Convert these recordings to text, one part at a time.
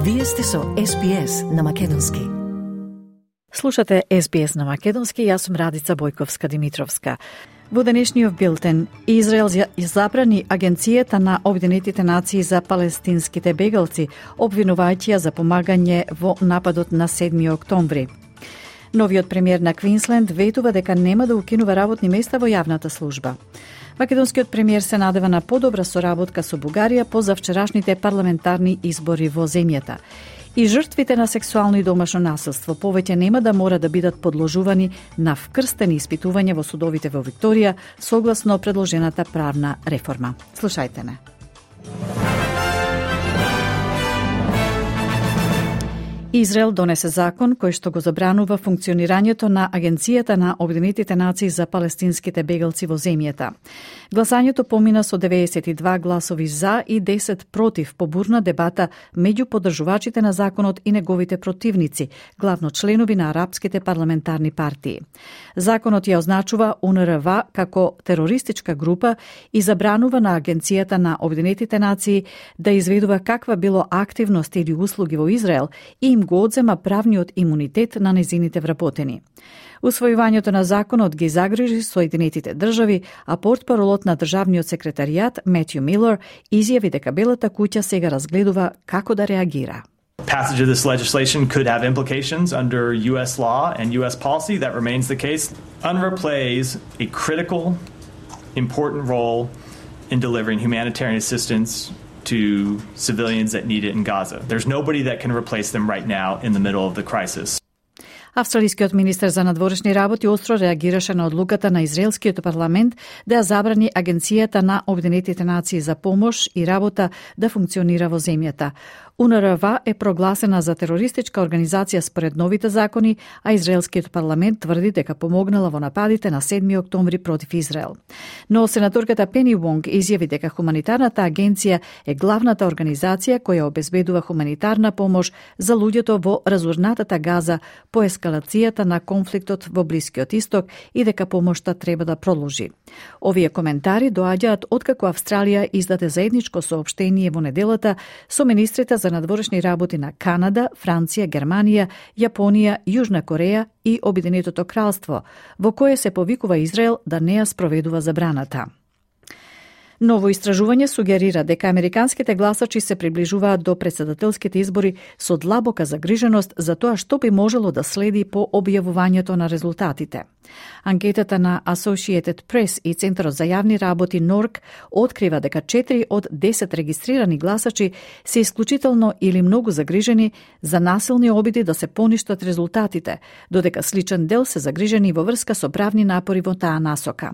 Вие сте со SBS на Македонски. Слушате SBS на Македонски, јас сум Радица Бојковска-Димитровска. Во денешниот билтен, Израел забрани Агенцијата на Обединетите нации за палестинските бегалци, обвинувајќи ја за помагање во нападот на 7 октомври. Новиот премиер на Квинсленд ветува дека нема да укинува работни места во јавната служба. Македонскиот премиер се надева на подобра соработка со Бугарија по завчерашните парламентарни избори во земјата. И жртвите на сексуално и домашно насилство повеќе нема да мора да бидат подложувани на вкрстени испитувања во судовите во Викторија, согласно предложената правна реформа. Слушајте не. Израел донесе закон кој што го забранува функционирањето на Агенцијата на Обединетите нации за палестинските бегалци во земјата. Гласањето помина со 92 гласови за и 10 против по бурна дебата меѓу поддржувачите на законот и неговите противници, главно членови на арапските парламентарни партии. Законот ја означува УНРВ како терористичка група и забранува на Агенцијата на Обединетите нации да изведува каква било активност или услуги во Израел и им го одзема правниот имунитет на незините вработени. Усвојувањето на законот ги загрижи Соединетите држави, а портпаролот на државниот секретаријат Метју Милер изјави дека Белата куќа сега разгледува како да реагира. Passage of this legislation could have implications under U.S. law and U.S. policy. That remains the case. UNRWA plays a critical, important role in delivering humanitarian assistance to civilians that need it in Gaza. There's nobody that can replace them right now in the middle of the crisis. Австралискиот министер за надворешни работи остро реагираше на одлуката на израелскиот парламент да ја забрани Агенцијата на Обединетите нации за помош и работа да функционира во земјата. УНРВ е прогласена за терористичка организација според новите закони, а израелскиот парламент тврди дека помогнала во нападите на 7 октомври против Израел. Но сенаторката Пени Вонг изјави дека хуманитарната агенција е главната организација која обезбедува хуманитарна помош за луѓето во разурнатата Газа по ескалацијата на конфликтот во Блискиот Исток и дека помошта треба да продолжи. Овие коментари доаѓаат откако Австралија издаде заедничко соопштение во неделата со министрите за надворешни работи на Канада, Франција, Германија, Јапонија, Јужна Кореја и Обединетото кралство, во кое се повикува Израел да не ја спроведува забраната. Ново истражување сугерира дека американските гласачи се приближуваат до претседателските избори со длабока загриженост за тоа што би можело да следи по објавувањето на резултатите. Анкетата на Associated Press и Центарот за јавни работи НОРК открива дека 4 од 10 регистрирани гласачи се исклучително или многу загрижени за насилни обиди да се поништат резултатите, додека сличен дел се загрижени во врска со правни напори во таа насока.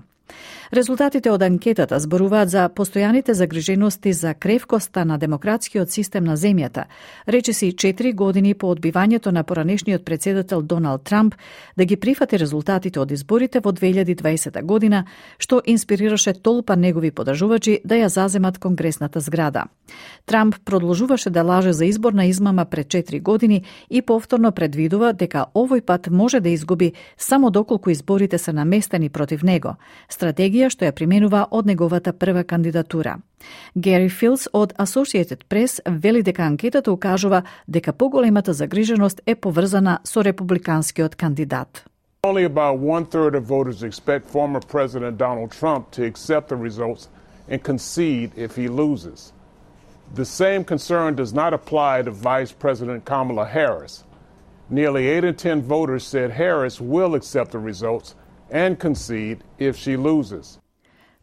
Резултатите од анкетата зборуваат за постојаните загрижености за кревкоста на демократскиот систем на земјата, речиси 4 години по одбивањето на поранешниот претседател Доналд Трамп да ги прифати резултатите од изборите во 2020 година, што инспирираше толпа негови подржувачи да ја заземат конгресната зграда. Трамп продолжуваше да лаже за изборна измама пред 4 години и повторно предвидува дека овој пат може да изгуби само доколку изборите се наместени против него, стратегија што ја применува од неговата прва кандидатура. Гери Филс од Associated Press вели дека анкетата укажува дека поголемата загриженост е поврзана со републиканскиот кандидат. Only about 1/3 of voters expect former President Donald Trump to accept the results and concede if he loses. The same concern does not apply to Vice President Kamala Harris. Nearly 8 in 10 voters said Harris will accept the results and concede if she loses.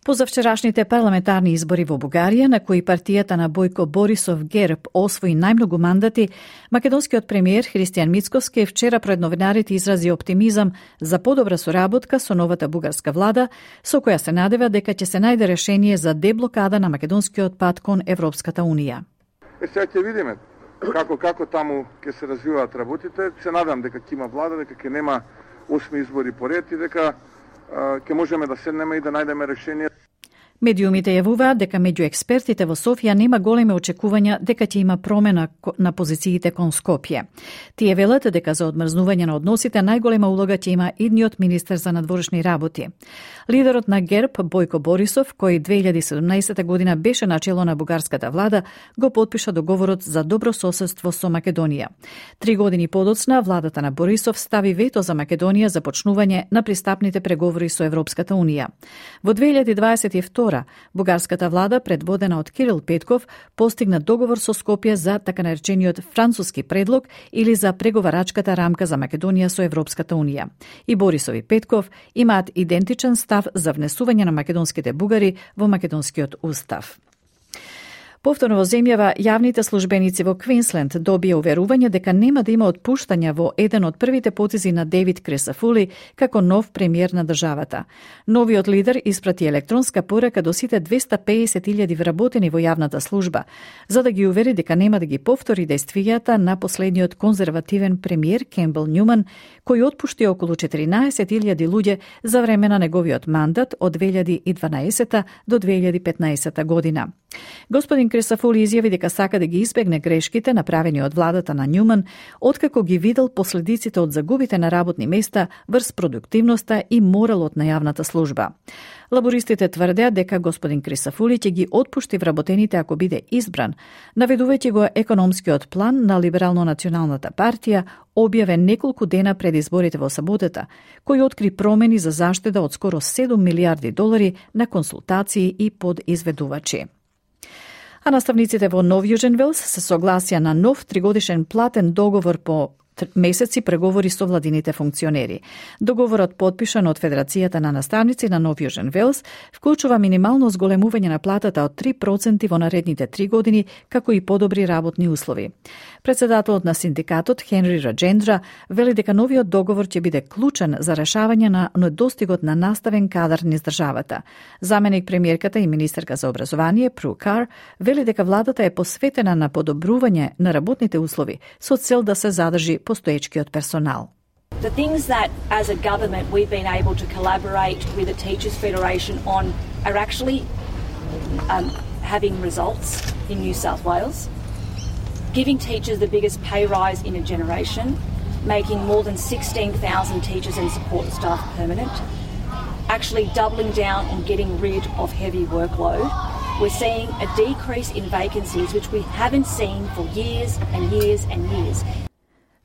По завчерашните парламентарни избори во Бугарија, на кои партијата на Бојко Борисов ГЕРБ освои најмногу мандати, македонскиот премиер Христијан Мицкоски вчера пред новинарите изрази оптимизам за подобра соработка со новата бугарска влада, со која се надева дека ќе се најде решение за деблокада на македонскиот пат кон Европската Унија. Сега ќе видиме како таму ќе се развиваат работите. Се надам дека ќе има влада, дека ќе нема 8 избори поред и дека ќе можеме да седнеме и да најдеме решение. Медиумите јавуваат дека меѓу експертите во Софија нема големи очекувања дека ќе има промена на позициите кон Скопје. Тие велат дека за одмрзнување на односите најголема улога ќе има идниот министер за надворешни работи. Лидерот на ГЕРБ Бојко Борисов, кој 2017 година беше начело на бугарската влада, го потпиша договорот за добро соседство со Македонија. 3 години подоцна владата на Борисов стави вето за Македонија за почнување на пристапните преговори со Европската унија. Во 2022 бугарската влада, предводена од Кирил Петков, постигна договор со Скопје за така наречениот француски предлог или за преговарачката рамка за Македонија со Европската унија. И Борисов и Петков имаат идентичен став за внесување на македонските бугари во македонскиот устав. Повторно во земјава, јавните службеници во Квинсленд добија уверување дека нема да има отпуштања во еден од првите потези на Дейвид Крисафули како нов премиер на државата. Новиот лидер испрати електронска порака до сите 250.000 вработени во јавната служба, за да ги увери дека нема да ги повтори действијата на последниот конзервативен премиер Кембел Њуман, кој отпушти околу 14.000 луѓе за време на неговиот мандат од 2012 до 2015 година. Господин Крисафули изјави дека сака да ги избегне грешките направени од владата на Њуман, откако ги видел последиците од загубите на работни места врз продуктивноста и моралот на јавната служба. Лабористите тврдеа дека господин Крисафули ќе ги отпушти вработените ако биде избран, наведувајќи го економскиот план на Либерално-националната партија, објавен неколку дена пред изборите во саботата, кој откри промени за заштеда од скоро $7 милиарди на консултации и подизведувачи. А наставниците во Нов Јужен Велс се согласија на нов 3-годишен платен договор по месеци преговори со владините функционери. Договорот, подпишан од Федерацијата на наставници на Нов Јужен Велс, вклучува минимално зголемување на платата од 3% во наредните 3 години, како и подобри работни услови. Председателот на синдикатот Хенри Раджендра вели дека новиот договор ќе биде клучен за решавање на недостигот на наставен кадар низ државата. Заменик премиерката и министерка за образование Пру Кар вели дека владата е посветена на подобрување на работните услови со цел да се задржи постоечкиот персонал. The things that as a government we've been able to collaborate with the Teachers Federation on are actually having results in New South Wales. Giving teachers the biggest pay rise in a generation, making more than 16,000 teachers and support staff permanent, actually doubling down on getting rid of heavy workload. We're seeing a decrease in vacancies which we haven't seen for years and years and years.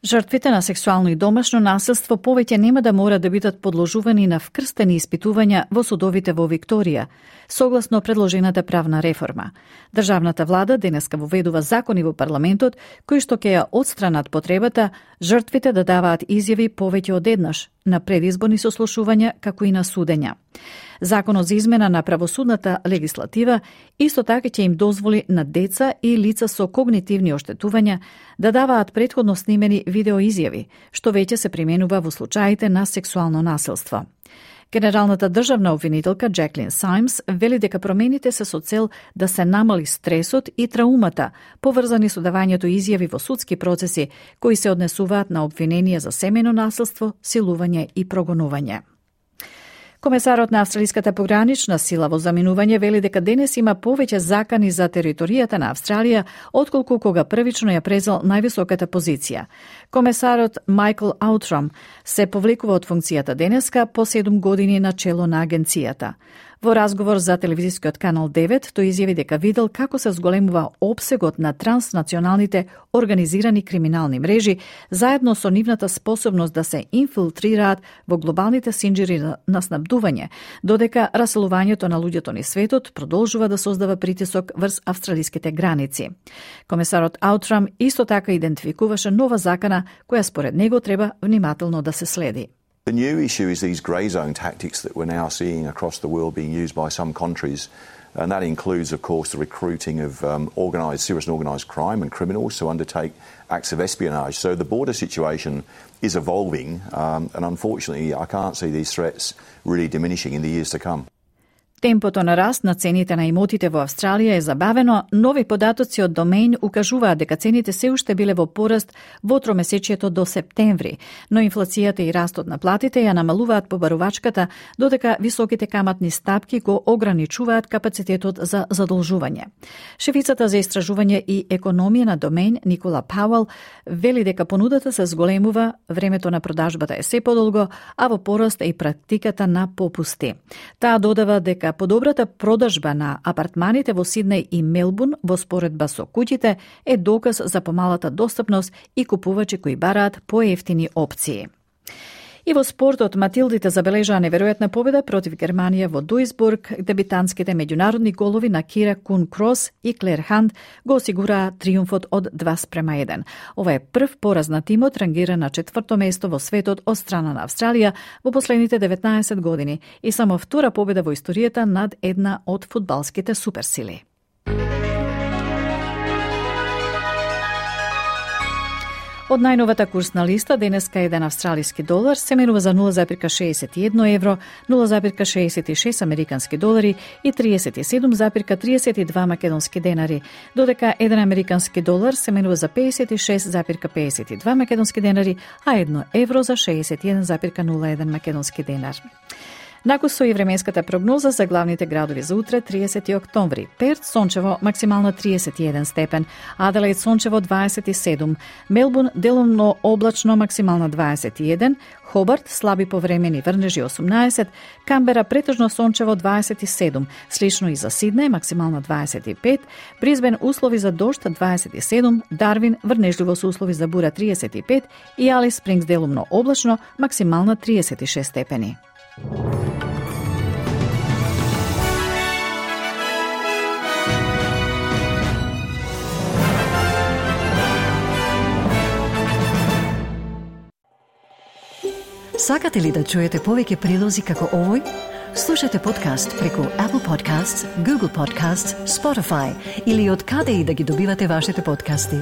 Жртвите на сексуално и домашно насилство повеќе нема да мора да бидат подложувани на вкрстени испитувања во судовите во Викторија, согласно предложената правна реформа. Државната влада денеска воведува закони во парламентот кои што ќе ја отстранат потребата жртвите да даваат изјави повеќе од еднаш на предизборни сослушувања како и на судења. Законот за измена на правосудната легислатива исто така ќе им дозволи на деца и лица со когнитивни оштетувања да даваат претходно снимени видеоизјави, што веќе се применува во случаите на сексуално насилство. Генералната државна обвинителка Джеклин Сајмс вели дека промените се со цел да се намали стресот и траумата поврзани со давањето изјави во судски процеси кои се однесуваат на обвиненија за семејно насилство, силување и прогонување. Комесарот на Австралиската погранична сила во заминување вели дека денес има повеќе закани за територијата на Австралија отколку кога првично ја презел највисоката позиција. Комесарот Майкл Аутрам се повлекува од функцијата денеска по 7 години на чело на агенцијата. Во разговор за телевизискиот канал 9, тој изјави дека видел како се зголемува опсегот на транснационалните организирани криминални мрежи, заедно со нивната способност да се инфилтрираат во глобалните синџири на снабдување, додека раселувањето на луѓето низ светот продолжува да создава притисок врз австралиските граници. Комесарот Аутрам исто така идентификуваше нова закана која според него треба внимателно да се следи. The new issue is these grey zone tactics that we're now seeing across the world being used by some countries, and that includes, of course, the recruiting of serious and organised crime and criminals to undertake acts of espionage. So the border situation is evolving, and unfortunately I can't see these threats really diminishing in the years to come. Темпото на раст на цените на имотите во Австралија е забавено. Нови податоци од Домейн укажуваат дека цените се уште биле во пораст во тромесечието до септември, но инфлацијата и растот на платите ја намалуваат побарувачката, додека високите каматни стапки го ограничуваат капацитетот за задолжување. Шефицата за истражување и економија на Домейн, Никола Пауел, вели дека понудата се зголемува, времето на продажбата е се подолго, а во пораст е и практиката на попусти. Таа додава дека подобрата продажба на апартманите во Сиднеј и Мелбурн во споредба со куќите е доказ за помалата достапност и купувачи кои бараат поевтини опции. И во спортот, Матилдите забележаа неверојатна победа против Германија во Дуисбург. Дебитантските меѓународни голови на Кира Кун Крос и Клер Хант го осигураа триумфот од 2:1. Ова е прв пораз на тимот, рангиран на 4-то место во светот од страна на Австралија во последните 19 години и само втора победа во историјата над една од фудбалските суперсили. Од најновата курсна листа, денеска еден австралиски долар се менува за 0,61 евро, 0,66 американски долари и 37,32 македонски денари, додека еден американски долар се менува за 56,52 македонски денари, а 1 евро за 61,01 македонски денар. Накусо и временската прогноза за главните градови за утре, 30 октомври. Перт сончево, максимална 31 степен, Аделаид сончево 27, Мелбурн делумно облачно, максимална 21, Хобарт слаби повремени врнежи 18, Камбера претежно сончево 27, слично и за Сиднеј максимална 25, Бризбен услови за дожд 27, Дарвин врнежливо со услови за бура 35 и Алис Спрингс делумно облачно, максимална 36 степени. Сакате ли да чуете повеќе прилози како овој? Слушате подкаст преку Apple Podcasts, Google Podcasts, Spotify или од каде и да ги добивате вашите подкасти.